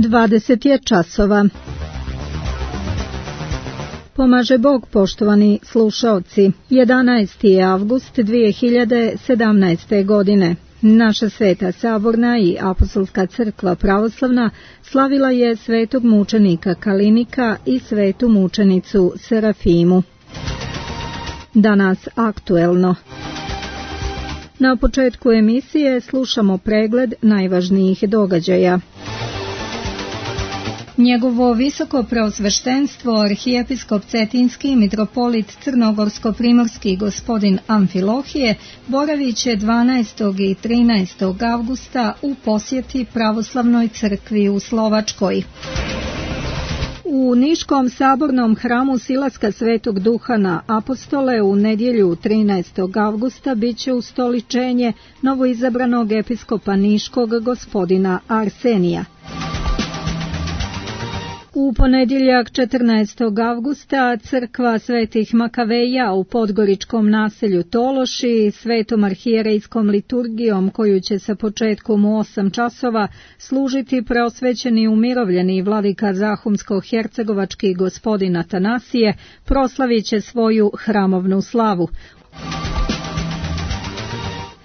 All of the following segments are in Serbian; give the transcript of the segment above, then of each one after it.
20 je časova. Pomaže Bog, poštovani slušaoci. 11. je avgust 2017. godine. Naša Sveta Saborna i Apostolska crkva pravoslavna slavila je svetog mučenika Kalinika i svetu mučenicu Serafimu. Danas aktuelno. Na početku emisije slušamo pregled najvažnijih događaja. Njegovo visoko preosveštenstvo arhijepiskop Cetinski mitropolit Crnogorsko-primorski gospodin Amfilohije boravit će 12. i 13. avgusta u posjeti pravoslavnoj crkvi u Slovačkoj. U Niškom sabornom hramu Silaska Svetog Duha na Apostole u nedjelju 13. avgusta biće ustoličenje novoizabranog episkopa Niškog gospodina Arsenija. U ponedjeljak 14. avgusta crkva Svetih Makaveja u podgoričkom naselju Tološi svetom arhijerejskom liturgijom koju će sa početkom u 8 časova služiti preosvećeni umirovljeni vladika Zahumsko-hercegovački gospodin Atanasije proslavit će svoju hramovnu slavu.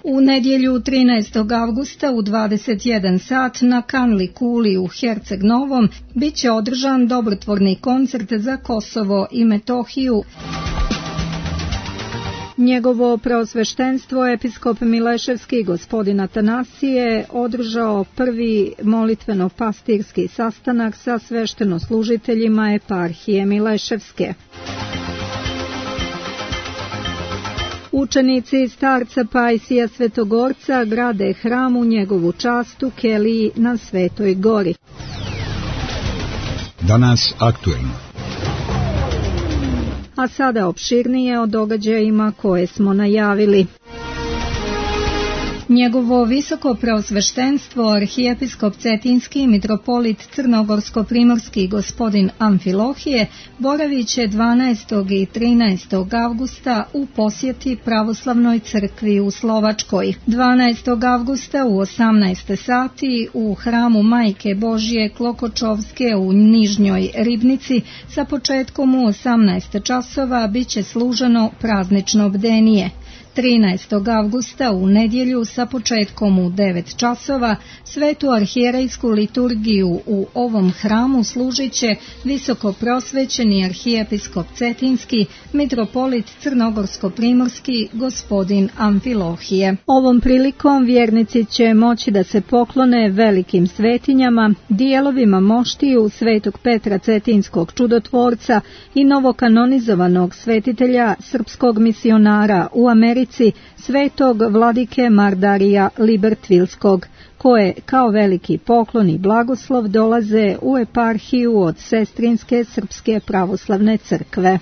U nedjelju 13. avgusta u 21 sat na Kanli Kuli u Herceg Novom bit će održan dobrotvorni koncert za Kosovo i Metohiju. Njegovo preosveštenstvo episkop Mileševski gospodin Atanasije održao prvi molitveno-pastirski sastanak sa sveštenoslужiteljima eparhije Mileševske. Učenici starca Pajsija Svetogorca grade hram u njegovu čast u Keliji na Svetoj gori. Danas aktuelno. A sada opširnije o događajima koje smo najavili. Njegovo visoko preosveštenstvo arhijepiskop Cetinski mitropolit Crnogorsko-primorski gospodin Amfilohije boravit će 12. i 13. avgusta u posjeti pravoslavnoj crkvi u Slovačkoj. 12. avgusta u 18 sati u hramu Majke Božje Klokočovske u Nižnjoj Ribnici sa početkom u 18 časova bit će služeno praznično bdenije. 13. avgusta u nedjelju sa početkom u 9 časova svetu arhijerejsku liturgiju u ovom hramu služit će visoko prosvećeni arhijepiskop Cetinski mitropolit Crnogorsko-primorski gospodin Amfilohije. Ovom prilikom vjernici će moći da se poklone velikim svetinjama, dijelovima moštiju svetog Petra Cetinskog čudotvorca i novokanonizovanog svetitelja srpskog misionara u Americi svetog vladike Mardarija Libertvilskog, koje kao veliki poklon i blagoslov dolaze u eparhiju od Sestrinske srpske pravoslavne crkve.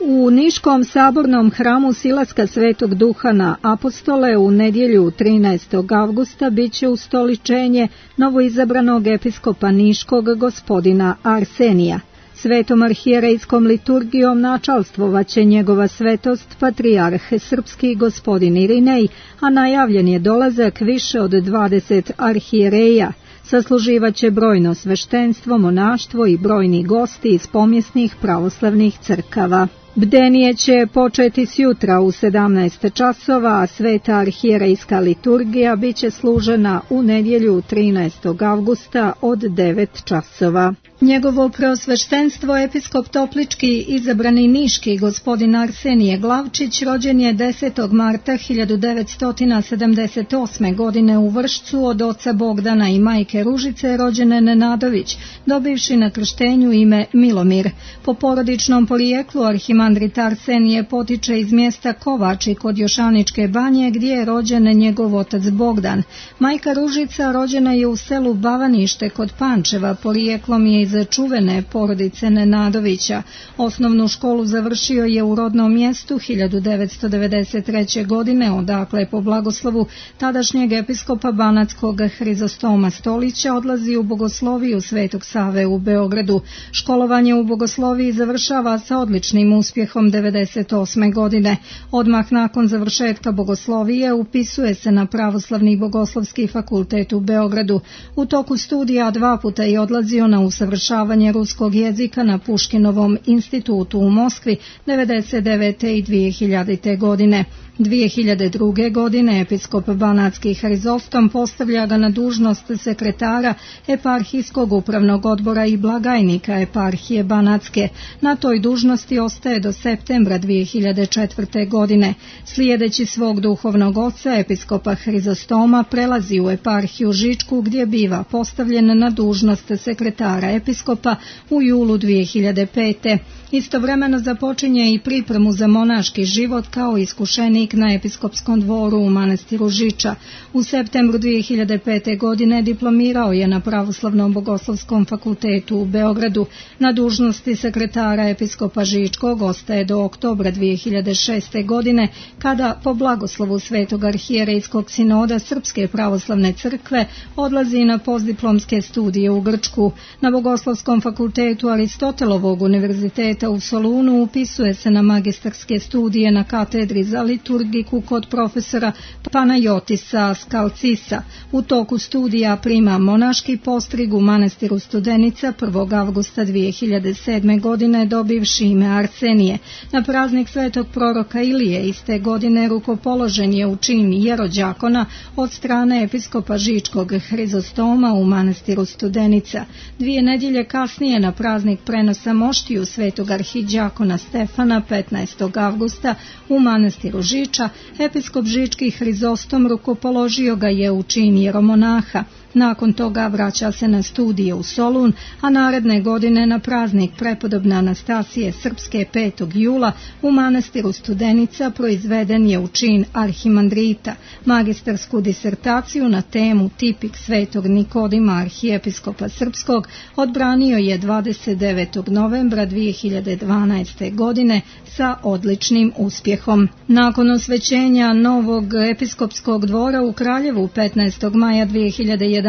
U Niškom sabornom hramu Silaska Svetog Duha na Apostole u nedjelju 13. avgusta biće ustoličenje novoizabranog episkopa Niškog gospodina Arsenija. Svetom arhijerejskom liturgijom načalstvovaće njegova svetost patrijarh srpski gospodin Irinej, a najavljen je dolazak više od 20 arhijereja. Sasluživaće brojno sveštenstvo, monaštvo i brojni gosti iz pomjesnih pravoslavnih crkava. Bdenije će početi sjutra u 17 časova, a sveta arhijerejska liturgija bit će služena u nedjelju 13. avgusta od 9 časova. Njegovo preosveštenstvo episkop Toplički izabrani Niški gospodin Arsenije Glavčić rođen je 10. marta 1978. godine u Vršcu od oca Bogdana i majke Ružice rođene Nenadović, dobivši na krštenju ime Milomir. Po porodičnom porijeklu arhimandrit Arsenije potiče iz mjesta Kovači kod Jošaničke banje gdje je rođen njegov otac Bogdan. Majka Ružica rođena je u selu Bavanište kod Pančeva, porijeklom je iz čuvene porodice Nenadovića. Osnovnu školu završio je u rodnom mjestu 1993. godine, odakle po blagoslovu tadašnjeg episkopa Banatskog Hrizostoma Stolića odlazi u bogosloviju Svetog Save u Beogradu. Školovanje u bogosloviji završava sa odličnim uspjehom uspjehom 1998. godine. Odmah nakon završetka bogoslovije upisuje se na Pravoslavni bogoslovski fakultet u Beogradu. U toku studija 2 puta je odlazio na usavršavanje ruskog jezika na Puškinovom institutu u Moskvi 1999. i 2000. godine. 2002. godine episkop Banatski Hrizostom postavlja ga na dužnost sekretara eparhijskog upravnog odbora i blagajnika eparhije Banatske. Na toj dužnosti ostaje do septembra 2004. godine. Slijedeći svog duhovnog oca, episkopa Hrizostoma, prelazi u eparhiju Žičku gdje biva postavljen na dužnost sekretara episkopa u julu 2005. Istovremeno započinje i pripremu za monaški život kao iskušenik na episkopskom dvoru u manastiru Žiča. U septembru 2005. godine diplomirao je na Pravoslavnom bogoslovskom fakultetu u Beogradu. Na dužnosti sekretara episkopa Žičkog ostaje do oktobra 2006. godine, kada po blagoslovu Svetog arhijerejskog sinoda Srpske pravoslavne crkve odlazi na postdiplomske studije u Grčku. Na Bogoslovskom fakultetu Aristotelovog univerziteta u Solunu upisuje se na magistarske studije na katedri za liturgiku kod profesora Panajotisa Skalcisa. U toku studija prima monaški postrig u manastiru Studenica 1. avgusta 2007. godine dobivši ime Arsenije. Na praznik svetog proroka Ilije iste godine rukopoložen je u čin jerođakona od strane episkopa Žičkog Hrizostoma u manastiru Studenica. 2 nedjelje kasnije na praznik prenosa moštiju svetog arhiđakona Stefana 15. avgusta u manastiru Žiča, episkop Žički Hrizostom rukopoložio ga je u čin jeromonaha. Nakon toga vraća se na studije u Solun, a naredne godine na praznik prepodobne Anastasije Srpske 5. jula u manastiru Studenica proizveden je u čin arhimandrita. Magistarsku disertaciju na temu Tipik svetog Nikodima arhijepiskopa Srpskog odbranio je 29. novembra 2012. godine sa odličnim uspjehom. Nakon osvećenja novog episkopskog dvora u Kraljevu 15. maja 2011.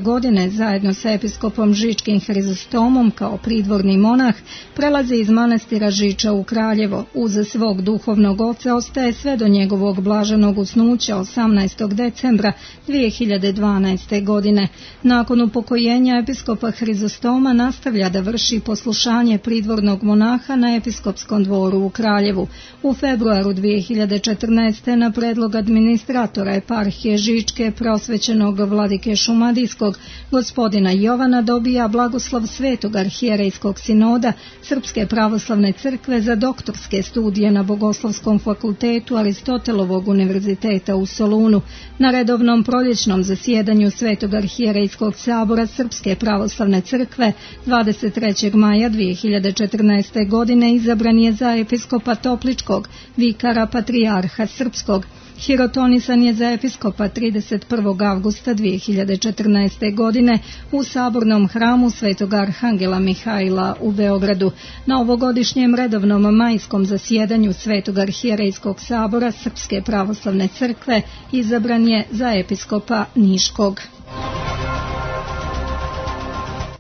godine zajedno sa episkopom Žičkim Hrizostomom kao pridvorni monah prelazi iz manastira Žiča u Kraljevo. Uz svog duhovnog oca ostaje sve do njegovog blaženog usnuća 18. decembra 2012. godine. Nakon upokojenja episkopa Hrizostoma nastavlja da vrši poslušanje pridvornog monaha na episkopskom dvoru u Kraljevu. U februaru 2014. na predlog administratora eparhije Žičke prosvećenog vladike Šumadijskog gospodina Jovana dobija blagoslov Svetog arhijerejskog sinoda Srpske pravoslavne crkve za doktorske studije na Bogoslovskom fakultetu Aristotelovog univerziteta u Solunu. Na redovnom proljećnom zasjedanju Svetog arhijerejskog sabora Srpske pravoslavne crkve 23. maja 2014. godine izabran je za episkopa Topličkog, vikara patrijarha Srpskog. Hirotonisan je za episkopa 31. avgusta 2014. godine u sabornom hramu Svetog arhangela Mihajla u Beogradu. Na ovogodišnjem redovnom majskom zasjedanju Svetog arhijerejskog sabora Srpske pravoslavne crkve izabran je za episkopa Niškog.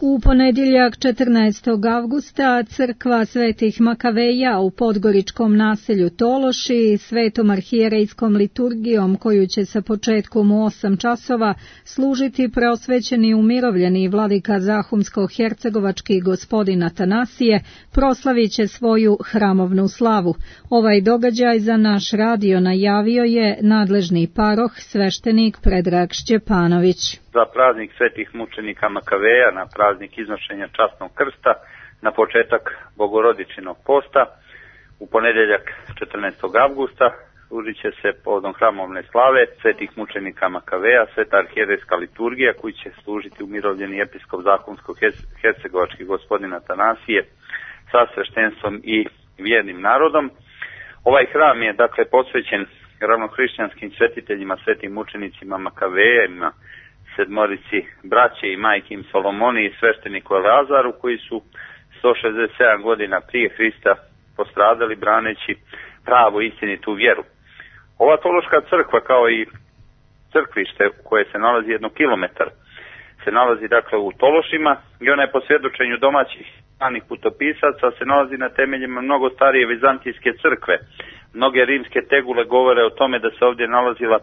U ponedjeljak 14. avgusta crkva Svetih Makaveja u podgoričkom naselju Tološi svetom arhijerejskom liturgijom koju će sa početkom u 8 časova služiti preosvećeni umirovljeni vladika Zahumsko-hercegovački gospodin Atanasije proslavit će svoju hramovnu slavu. Ovaj događaj za naš radio najavio je nadležni paroh sveštenik Predrag Šćepanović. Za praznik svetih mučenika Makaveja, na praznik iznošenja časnog krsta, na početak Bogorodičinog posta, u ponedjeljak 14. avgusta služit će se povodom hramovne slave svetih mučenika Makaveja, sveta arhijerejska liturgija koju će služiti umirovljeni episkop Zahumsko-hercegovački gospodin Atanasije sa sveštenstvom i vjernim narodom. Ovaj hram je dakle posvećen ravnohrišćanskim svetiteljima, svetim mučenicima Makavejima, sedmorici braće i majke im Solomoni i svešteniku Eleazaru koji su 167 godina prije Hrista postradali braneći pravu istinitu vjeru. Ova Tološka crkva kao i crkvište koje se nalazi 1 kilometar se nalazi dakle u Tološima i ona je po svjedočenju domaćih stranih putopisaca se nalazi na temeljima mnogo starije vizantijske crkve. Mnoge rimske tegule govore o tome da se ovdje nalazila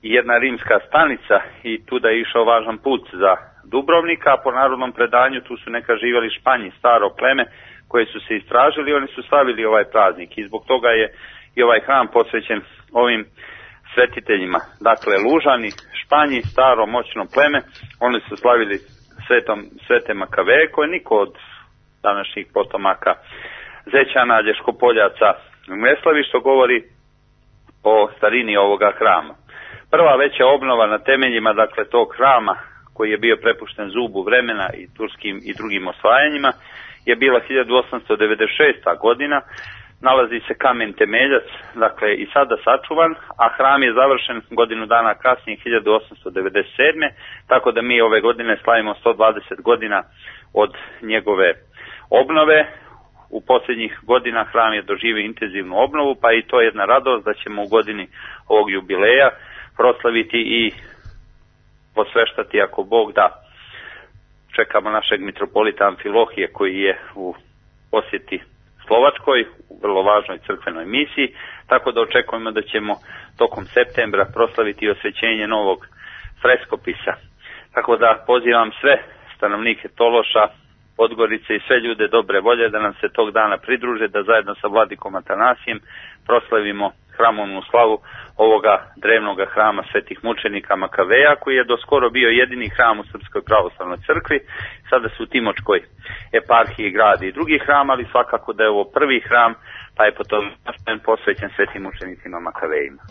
i jedna rimska stanica i tu da je išao važan put za Dubrovnika, a po narodnom predanju tu su neka živjeli Španji, staro pleme koje su se istražili, oni su slavili ovaj praznik i zbog toga je i ovaj hram posvećen ovim svetiteljima. Dakle, Lužani, Španji, staro moćno pleme, oni su slavili svete Makaveje koje niko od današnjih potomaka Zećana, Lješkopoljaca ne slavi, što govori o starini ovoga hrama. Prva veća obnova na temeljima dakle tog hrama koji je bio prepušten zubu vremena i turskim i drugim osvajanjima je bila 1896. godina. Nalazi se kamen temeljac, dakle i sada sačuvan, a hram je završen godinu dana kasnije 1897. Tako da mi ove godine slavimo 120 godina od njegove obnove. U posljednjih godina hram je doživio intenzivnu obnovu, pa i to je jedna radost da ćemo u godini ovog jubileja proslaviti i posveštati, ako Bog da. Čekamo našeg mitropolita Amfilohije koji je u posjeti Slovačkoj, u vrlo važnoj crkvenoj misiji, tako da očekujemo da ćemo tokom septembra proslaviti osvećenje novog freskopisa. Tako da pozivam sve stanovnike Tološa, Podgorice i sve ljude dobre volje da nam se tog dana pridruže, da zajedno sa vladikom Atanasijem proslavimo hramovnu slavu ovoga drevnog hrama svetih mučenika Makaveja, koji je doskoro bio jedini hram u Srpskoj pravoslavnoj crkvi. Sada su u Timočkoj eparhiji gradi i drugi hram, ali svakako da je ovo prvi hram, pa je potom posvećen svetim mučenicima Makavejima.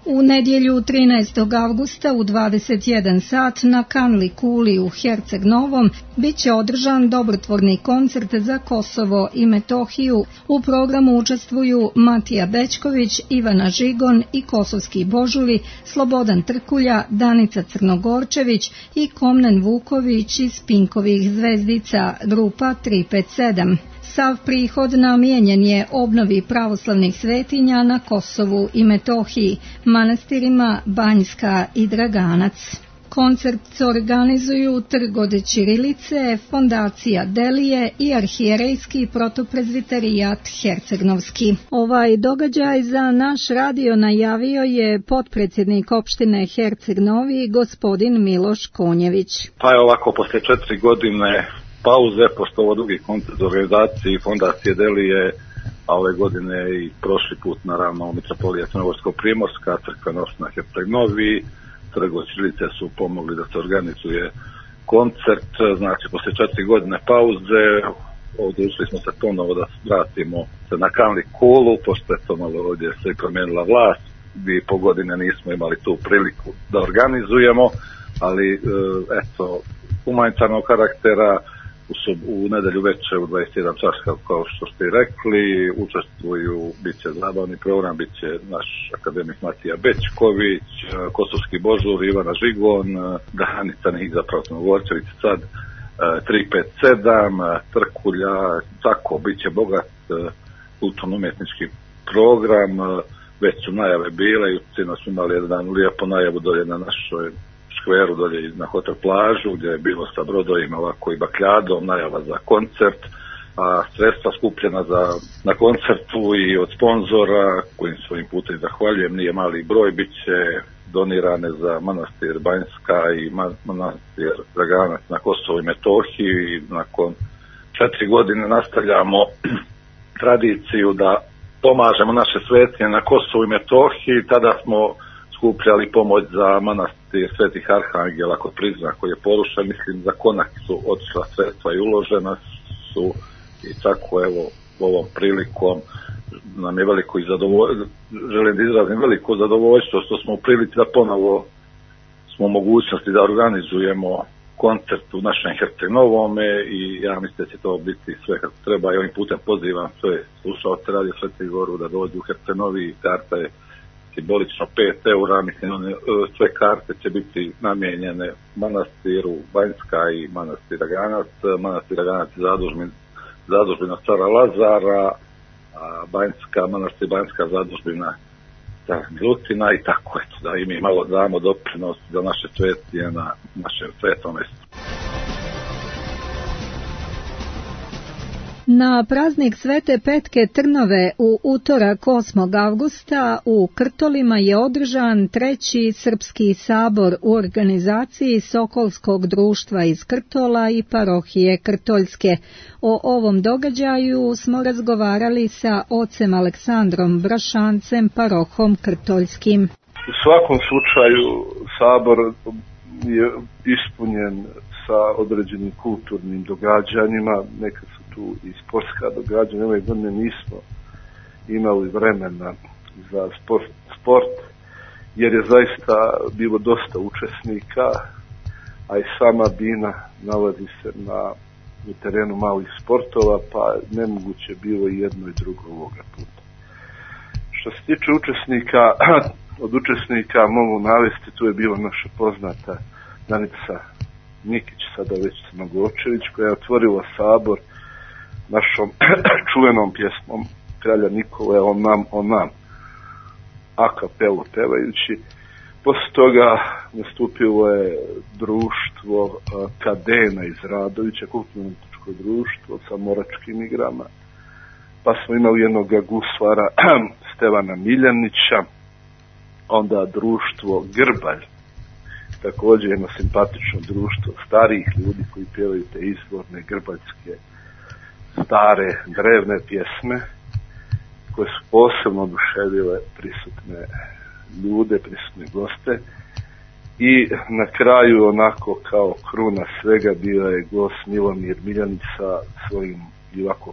U nedjelju 13. avgusta u 21 sat na Kanli kuli u Herceg Novom bit će održan dobrotvorni koncert za Kosovo i Metohiju. U programu učestvuju Matija Bećković, Ivana Žigon i kosovski božuri, Slobodan Trkulja, Danica Crnogorčević i Komnen Vuković iz Pinkovih zvezdica, grupa 357. Sav prihod namijenjen je obnovi pravoslavnih svetinja na Kosovu i Metohiji, manastirima Banjska i Draganac. Koncert organizuju Trg od Ćirilice, Fondacija Delije i Arhijerejski protoprezviterijat Hercegnovski. Ovaj događaj za naš radio najavio je potpredsjednik opštine Herceg Novi, gospodin Miloš Konjević. Pa je ovako, poslije 4 godine pauze, pošto ovo drugi koncert organizaciji Fondacije Delije, a ove godine i prošli put naravno Mitropolija Crnogorsko-Primorska, crkvena opština Herceg Novi, Trg od Ćirilice su pomogli da se organizuje koncert. Znači, poslije 4 godine pauze odlučili smo se ponovo da vratimo se na Kanli kulu, pošto je to malo ovdje se i promijenila vlast. 2,5 godine nismo imali tu priliku da organizujemo, ali eto, humanitarnog karaktera. U nedelju večer u 21 čas, kao što ste rekli, učestvuju, bit će zabavni program, bit će naš akademik Matija Bećković, kosovski božur Ivana Žigon, Danica Nih zapravo Crnogorčević sad, 357, Trkulja, tako, bit će bogat kulturno-umjetnički program, već su najave bile, jutro smo imali jedan lijepo najavu dolje na našoj skveru dolje na hotel plažu, gdje je bilo sa brodovima ovako i bakljadom, najava za koncert, a sredstva skupljena na koncertu i od sponzora, kojim svojim putem zahvaljujem, nije mali broj, bit će donirane za manastir Banjska i manastir Draganac na Kosovo i Metohiji. I nakon 4 godine nastavljamo tradiciju da pomažemo naše svetinje na Kosovu i Metohiji. Tada smo skupljali pomoć za manastir Svetih Arhangela kod Prizna koji je porušen, mislim za Konak su otišla sredstva i uložena su i tako evo ovom prilikom nam je veliko i želim da izrazim veliko zadovoljstvo što smo u prilici da ponovo smo u mogućnosti da organizujemo koncert u našem Herceg Novome i ja mislim da će to biti sve kako treba i ovim putem pozivam sve slušalce Radio Sveti Goru da dođu u Herceg Novi. Karta je simbolično 5 eura, mislim sve karte će biti namijenjene manastiru Banjska i manastir Draganac. Manastir Draganac je zadužbina cara Lazara, a manastir Banjska zadužbina glutina i tako eto, da i mi malo damo doprinos za naše cvetije na našem svetom mjestu. Na praznik Svete Petke Trnove u utorak 8. avgusta u Krtolima je održan 3. Srpski sabor u organizaciji Sokolskog društva iz Krtola i parohije Krtoljske. O ovom događaju smo razgovarali sa ocem Aleksandrom Brašancem, parohom Krtoljskim. U svakom slučaju sabor je ispunjen sa određenim kulturnim događanjima, neka su tu i sportska događanja. Ove godine nismo imali vremena za sport, jer je zaista bilo dosta učesnika, a i sama Bina nalazi se u terenu malih sportova, pa nemoguće bilo i jedno i drugo ovoga puta. Što se tiče učesnika, od učesnika mogu navesti, tu je bila naša poznata Danica Nikić, sada već Smagočević, koja je otvorila sabor našom čuvenom pjesmom kralja Nikole On nam, a kapelu pevajući. Poslije toga nastupilo je društvo Kadena iz Radovića, kulturno-umjetničko društvo sa moračkim igrama. Pa smo imali jednog guslara Stevana Miljanića, onda društvo Grbalj, također jedno simpatično društvo starijih ljudi koji pjevaju te izvorne grbaljske stare drevne pjesme koje su posebno oduševile prisutne ljude, prisutne goste. I na kraju, onako kao kruna svega, bio je gost Milomir Miljanić sa svojim ovako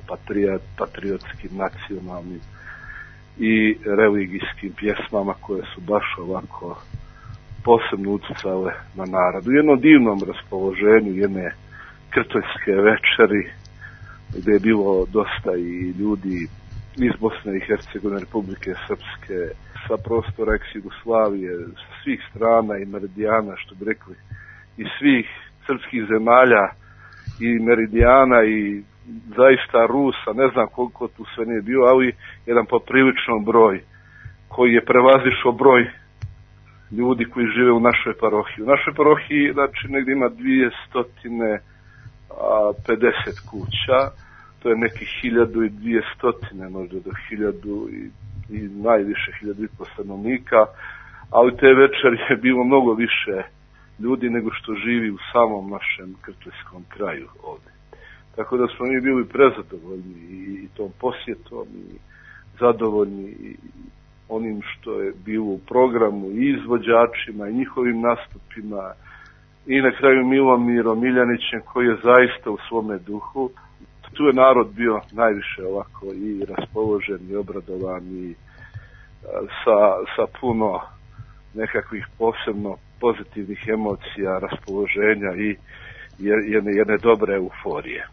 patriotskim, nacionalnim i religijskim pjesmama koje su baš ovako posebno utjecale na narod. U jednom divnom raspoloženju jedne krtoljske večeri, gdje je bilo dosta i ljudi iz Bosne i Hercegovine, Republike Srpske, sa prostora ex-Jugoslavije, sa svih strana i meridijana, što bi rekli, iz svih srpskih zemalja i meridijana i zaista Rusa, ne znam koliko tu sve nije bio, ali jedan popriličan broj koji je prevazišao broj ljudi koji žive u našoj parohiji. U našoj parohiji, znači, negdje ima 250 kuća, to je nekih 1200, možda do 1000 i najviše 1500 stanovnika, ali te večeri je bilo mnogo više ljudi nego što živi u samom našem krtoljskom kraju ovdje. Tako da smo mi bili prezadovoljni i tom posjetom i zadovoljni i onim što je bilo u programu i izvođačima i njihovim nastupima i na kraju Milomirom Miljanićem koji je zaista u svome duhu. Tu je narod bio najviše ovako i raspoložen i obradovan i sa puno nekakvih posebno pozitivnih emocija, raspoloženja i jedne dobre euforije.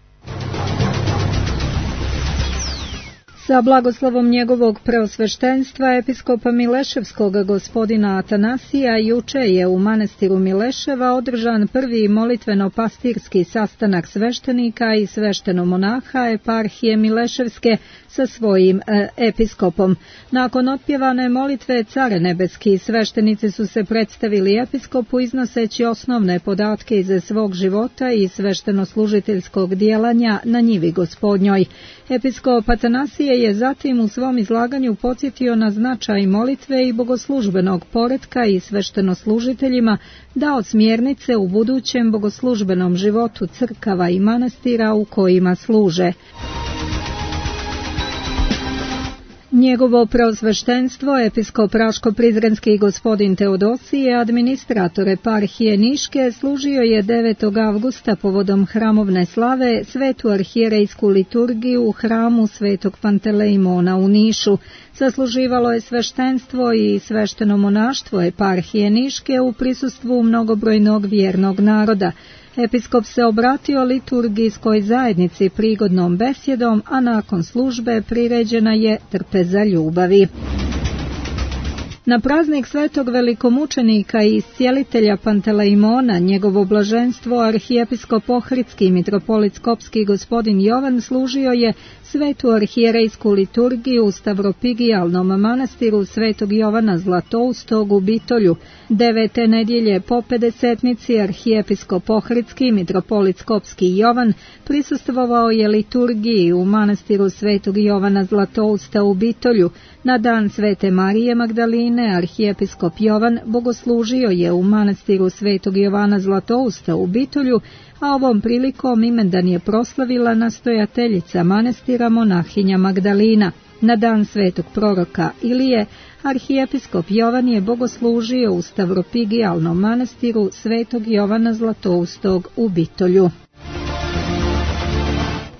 Sa blagoslovom njegovog preosveštenstva episkopa Mileševskog gospodina Atanasija juče je u manastiru Mileševa održan prvi molitveno-pastirski sastanak sveštenika i sveštenomonaha eparhije Mileševske sa svojim episkopom. Nakon otpjevane molitve Care nebeski, sveštenici su se predstavili episkopu iznoseći osnovne podatke iz svog života i sveštenoslužiteljskog djelanja na njivi gospodnjoj. Episkop Atanasije je zatim u svom izlaganju podsjetio na značaj molitve i bogoslužbenog poretka i sveštenoslužiteljima dao smjernice u budućem bogoslužbenom životu crkava i manastira u kojima služe. Njegovo preosveštenstvo, episkop Raško-Prizrenski gospodin Teodosije, administrator eparhije Niške, služio je 9. avgusta povodom hramovne slave svetu arhijerejsku liturgiju u hramu svetog Pantelejmona u Nišu. Zasluživalo je sveštenstvo i svešteno monaštvo eparhije Niške u prisustvu mnogobrojnog vjernog naroda. Episkop se obratio liturgijskoj zajednici prigodnom besjedom, a nakon službe priređena je trpeza ljubavi. Na praznik svetog velikomučenika i iscijelitelja Pantelejmona, njegovo blaženstvo arhijepiskop Ohridski mitropolit Skopski gospodin Jovan služio je svetu arhijerejsku liturgiju u Stavropigijalnom manastiru svetog Jovana Zlatoustog u Bitolju. 9. nedjelje po pedesetnici arhijepiskop Ohridski mitropolit Skopski Jovan prisustvovao je liturgiji u manastiru svetog Jovana Zlatousta u Bitolju. Na dan Svete Marije Magdaline arhijepiskop Jovan bogoslužio je u manastiru svetog Jovana Zlatousta u Bitolju, a ovom prilikom imendan je proslavila nastojateljica manastira monahinja Magdalina. Na dan svetog proroka Ilije arhijepiskop Jovan je bogoslužio u Stavropigijalnom manastiru svetog Jovana Zlatoustog u Bitolju.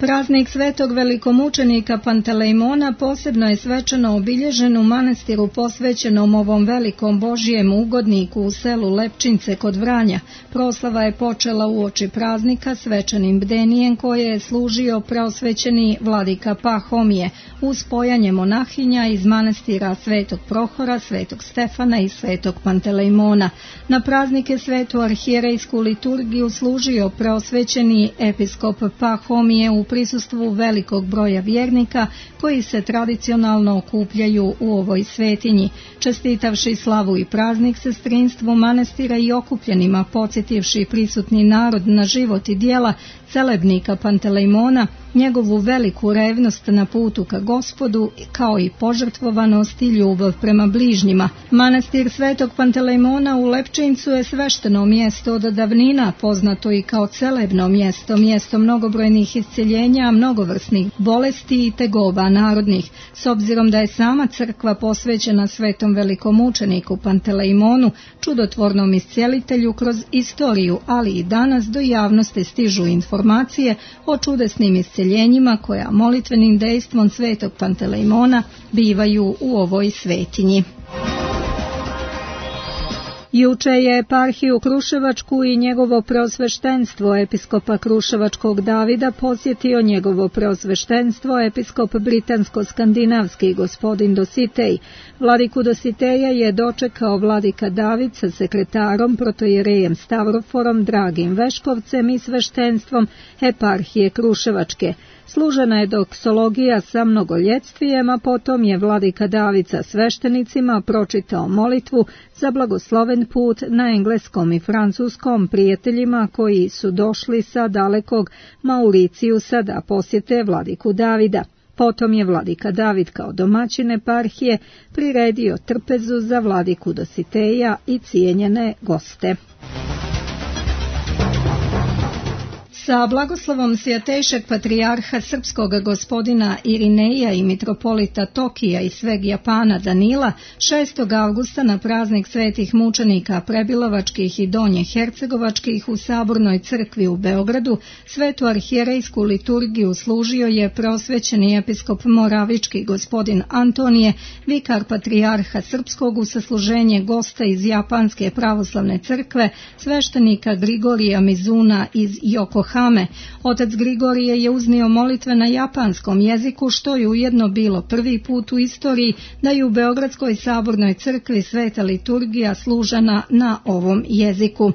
Praznik svetog velikomučenika Pantelejmona posebno je svečano obilježen u manastiru posvećenom ovom velikom Božijem ugodniku u selu Lepčince kod Vranja. Proslava je počela uoči praznika svečanim bdenijem koje je služio preosvećeni vladika Pahomije uz pojanje monahinja iz manastira svetog Prohora, svetog Stefana i svetog Pantelejmona. Na praznike svetu arhijerejsku liturgiju služio preosvećeni episkop Pahomije u prisustvu velikog broja vjernika koji se tradicionalno okupljaju u ovoj svetinji. Čestitavši slavu i praznik sestrinstvu manastira i okupljenima, podsjetivši prisutni narod na život i djela celebnika Pantelejmona, njegovu veliku revnost na putu ka Gospodu, kao i požrtvovanost i ljubav prema bližnjima. Manastir svetog Pantelejmona u Lepčincu je svešteno mjesto od davnina, poznato i kao celebno mjesto, mjesto mnogobrojnih isceljenja, mnogovrsnih bolesti i tegoba narodnih. S obzirom da je sama crkva posvećena svetom velikomučeniku Pantelejmonu, čudotvornom iscijelitelju, kroz istoriju, ali i danas do javnosti stižu informacije o čudesnim isceljenjima koja molitvenim dejstvom svetog Pantelejmona bivaju u ovoj svetinji. Juče je eparhiju Kruševačku i njegovo preosveštenstvo episkopa Kruševačkog Davida posjetio njegovo preosveštenstvo episkop britansko-skandinavski gospodin Dositej. Vladiku Dositeja je dočekao vladika David sa sekretarom, protojerejem Stavroforom, Dragim Veškovcem i sveštenstvom eparhije Kruševačke. Služena je doksologija sa mnogoljetstvijem, a potom je vladika David sa sveštenicima pročitao molitvu za blagosloven put na engleskom i francuskom prijateljima koji su došli sa dalekog Mauricijusa da posjete vladiku Davida. Potom je vladika David kao domaćin eparhije priredio trpezu za vladiku Dositeja i cijenjene goste. Sa blagoslovom svjatejšeg patrijarha srpskog gospodina Irineja i mitropolita Tokija i sveg Japana Danila 6. avgusta na praznik svetih mučenika Prebilovačkih i Donje Hercegovačkih u Sabornoj crkvi u Beogradu svetu arhijerejsku liturgiju služio je preosvećeni episkop Moravički gospodin Antonije, vikar patrijarha srpskog, u sasluženje gosta iz Japanske pravoslavne crkve, sveštenika Grigorija Mizuna iz Yokohame. Otac Grigorije je uznio molitve na japanskom jeziku, što je ujedno bilo prvi put u istoriji da je u Beogradskoj sabornoj crkvi sveta liturgija služena na ovom jeziku.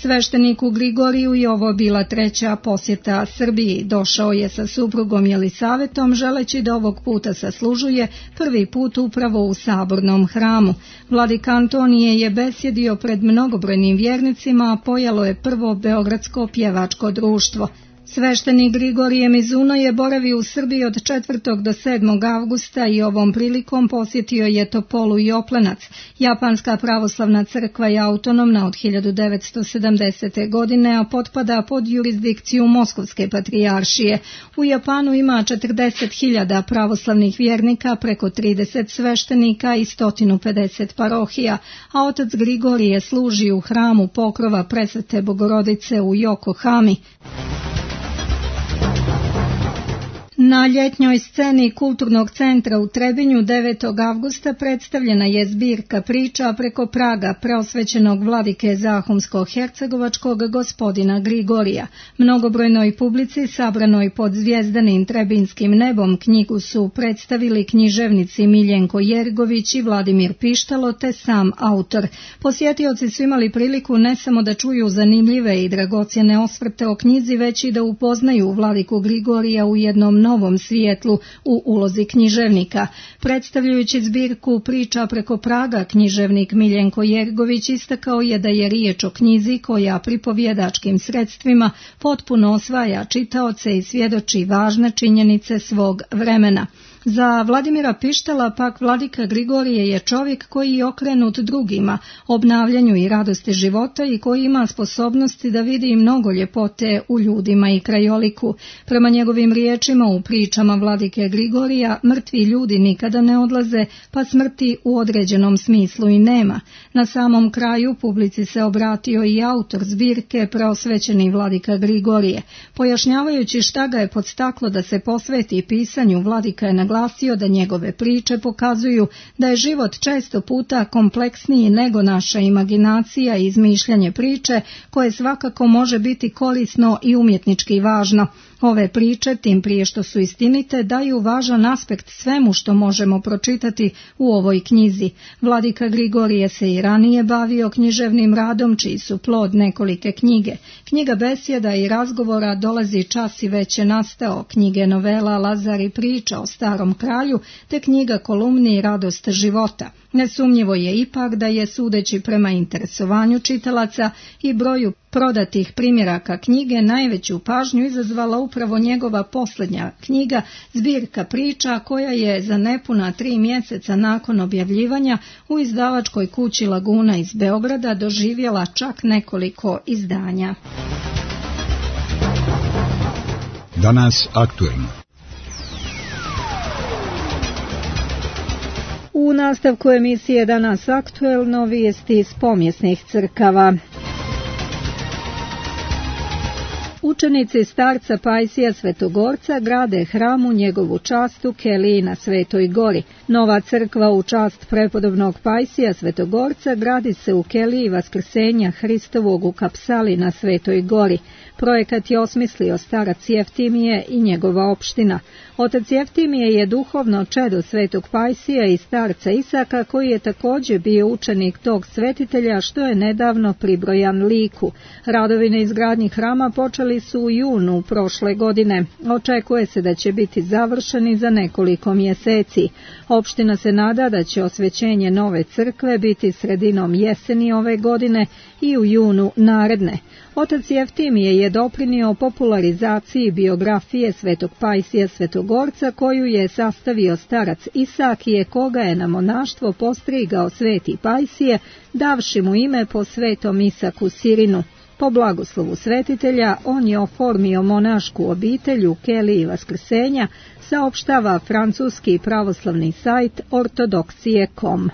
Svešteniku Grigoriju je ovo bila treća posjeta Srbiji. Došao je sa suprugom Jelisavetom želeći da ovog puta saslužuje prvi put upravo u sabornom hramu. Vladika Antonije je besjedio pred mnogobrojnim vjernicima, a pojelo je prvo Beogradsko pjevačko društvo. Sveštenik Grigorije Mizuno je boravio u Srbiji od 4. do 7. avgusta i ovom prilikom posjetio je Topolu i Oplenac. Japanska pravoslavna crkva je autonomna od 1970. godine, a potpada pod jurisdikciju Moskovske patrijaršije. U Japanu ima 40.000 pravoslavnih vjernika, preko 30 sveštenika i 150 parohija, a otac Grigorije služi u hramu pokrova Presvete Bogorodice u Yokohami. Na ljetnjoj sceni Kulturnog centra u Trebinju 9. avgusta predstavljena je zbirka priča preko praga preosvećenog vladike Zahumsko-hercegovačkog gospodina Grigorija. Mnogobrojnoj publici sabranoj pod zvjezdanim trebinskim nebom knjigu su predstavili književnici Miljenko Jergović i Vladimir Pištalo te sam autor. Posjetioci su imali priliku ne samo da čuju zanimljive i dragocjene osvrte o knjizi, već i da upoznaju vladiku Grigorija u jednom novom svijetlu u ulozi književnika. Predstavljajući zbirku priča preko praga, književnik Miljenko Jergović istakao je da je riječ o knjizi koja pripovjedačkim sredstvima potpuno osvaja čitaoce i svjedoči važne činjenice svog vremena. Za Vladimira Pištala pak vladika Grigorije je čovjek koji je okrenut drugima, obnavljanju i radosti života i koji ima sposobnosti da vidi mnogo ljepote u ljudima i krajoliku. Prema njegovim riječima u pričama vladike Grigorija mrtvi ljudi nikada ne odlaze, pa smrti u određenom smislu i nema. Na samom kraju publici se obratio i autor zbirke preosvećeni vladika Grigorije. Pojašnjavajući šta ga je podstaklo da se posveti pisanju, vladika je naglasio da njegove priče pokazuju da je život često puta kompleksniji nego naša imaginacija i izmišljanje priče, koje svakako može biti korisno i umjetnički važno. Ove priče, tim prije što su istinite, daju važan aspekt svemu što možemo pročitati u ovoj knjizi. Vladika Grigorije se i ranije bavio književnim radom, čiji su plod nekolike knjige. Knjiga besjeda i razgovora Dolazi čas i već je nastao, knjige novela Lazar i priča o starom kralju, te knjiga kolumni Radost života. Nesumnjivo je ipak da je, sudeći prema interesovanju čitalaca i broju prodatih primjeraka knjige, najveću pažnju izazvala upravo njegova posljednja knjiga, zbirka priča, koja je za nepuna 3 mjeseca nakon objavljivanja u izdavačkoj kući Laguna iz Beograda doživjela čak nekoliko izdanja. Danas aktuelno. U nastavku emisije Danas aktuelno vijesti iz pomjesnih crkava. Učenici starca Pajsija Svetogorca grade hram u njegovu čast u Keliji na Svetoj Gori. Nova crkva u čast prepodobnog Pajsija Svetogorca gradi se u Keliji Vaskrsenja Hristovog u Kapsali na Svetoj Gori. Projekat je osmislio starac Jeftimije i njegova opština. Otac Jeftimije je duhovno čedo Svetog Pajsija i starca Isaka, koji je također bio učenik tog svetitelja, što je nedavno pribrojan liku. Radovi na izgradnji hrama počeli su u junu prošle godine. Očekuje se da će biti završeni za nekoliko mjeseci. Opština se nada da će osvećenje nove crkve biti sredinom jeseni ove godine i u junu naredne. Otac Jeftimije je doprinio popularizaciji biografije Svetog Pajsija Svetogorca, koju je sastavio starac Isakije, koga je na monaštvo postrigao Sveti Pajsije, davši mu ime po Svetom Isaku Sirinu. Po blagoslovu svetitelja on je oformio monašku obitelj u Keliji Vaskrsenja, saopštava francuski pravoslavni sajt ortodoksije.com.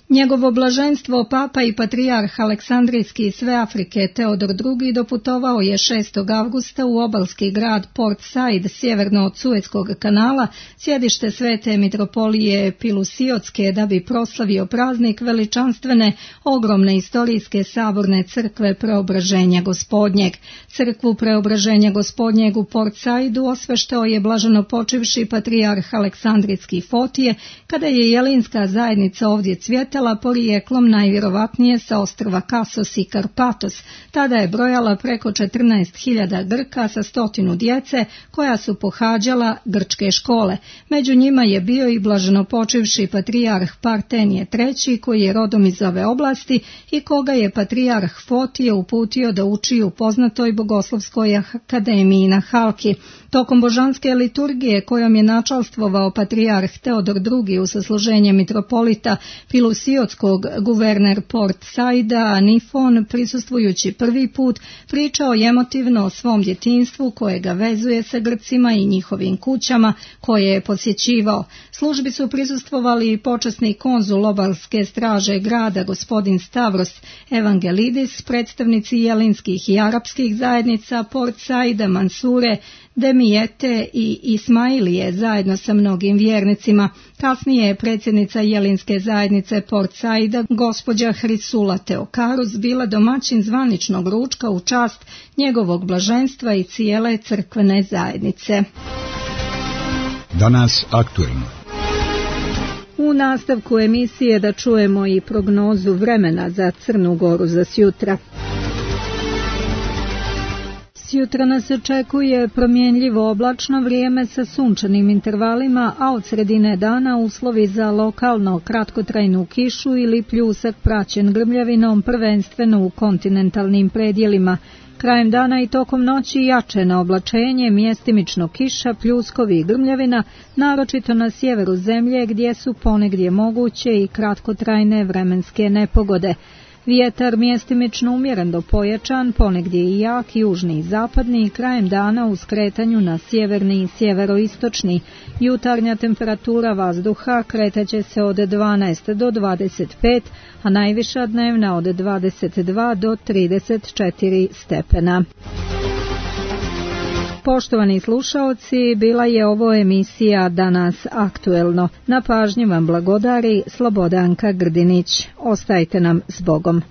Njegovo blaženstvo papa i patrijarh Aleksandrijski sve Afrike Teodor II doputovao je 6. avgusta u obalski grad Port Said, sjeverno od Suetskog kanala, sjedište Svete mitropolije Pilusiotske, da bi proslavio praznik veličanstvene, ogromne istorijske saborne crkve Preobraženja Gospodnjeg. Crkvu Preobraženja Gospodnjeg u Port Saidu osveštao je blaženopočivši patrijarh Aleksandrijski Fotije, kada je jelinska zajednica ovdje cvjetala, porijeklom najvjerovatnije sa ostrva Kasos i Karpatos. Tada je brojala preko 14.000 Grka sa 100 djece koja su pohađala grčke škole. Među njima je bio i blaženopočivši patrijarh Partenije III, koji je rodom iz ove oblasti i koga je patrijarh Fotije uputio da uči u poznatoj bogoslovskoj akademiji na Halki. Tokom božanske liturgije, kojom je načalstvovao patrijarh Teodor II u sasluženje mitropolita Pilusiotskog Siotskog guverner Port Saida Nifon, prisustvujući prvi put, pričao emotivno o svom djetinjstvu koje ga vezuje sa Grcima i njihovim kućama koje je posjećivao. Službi su prisustvovali i počasni konzul obalske straže grada gospodin Stavros Evangelidis, predstavnici jelinskih i arapskih zajednica Port Saida, Mansure, Demijete i Ismailije zajedno sa mnogim vjernicima. Kasnije je predsjednica jelinske zajednice Port Saida, gospođa Hrisula Teokarus, bila domaćin zvaničnog ručka u čast njegovog blaženstva i cijele crkvene zajednice. Danas aktuelno. U nastavku emisije da čujemo i prognozu vremena za Crnu Goru za sjutra. Sjutra nas očekuje promjenljivo oblačno vrijeme sa sunčanim intervalima, a od sredine dana uslovi za lokalno kratkotrajnu kišu ili pljusak praćen grmljavinom, prvenstveno u kontinentalnim predjelima. Krajem dana i tokom noći jače na oblačenje, mjestimično kiša, pljuskovi i grmljavina, naročito na sjeveru zemlje gdje su ponegdje moguće i kratkotrajne vremenske nepogode. Vjetar mjestimično umjeren do pojačan, ponegdje i jak, južni i zapadni, krajem dana u skretanju na sjeverni i sjeveroistočni. Jutarnja temperatura vazduha kretaće se od 12 do 25, a najviša dnevna od 22 do 34 stepena. Poštovani slušaoci, bila je ovo emisija Danas aktuelno. Na pažnji vam blagodari Slobodanka Grdinić. Ostajte nam s Bogom.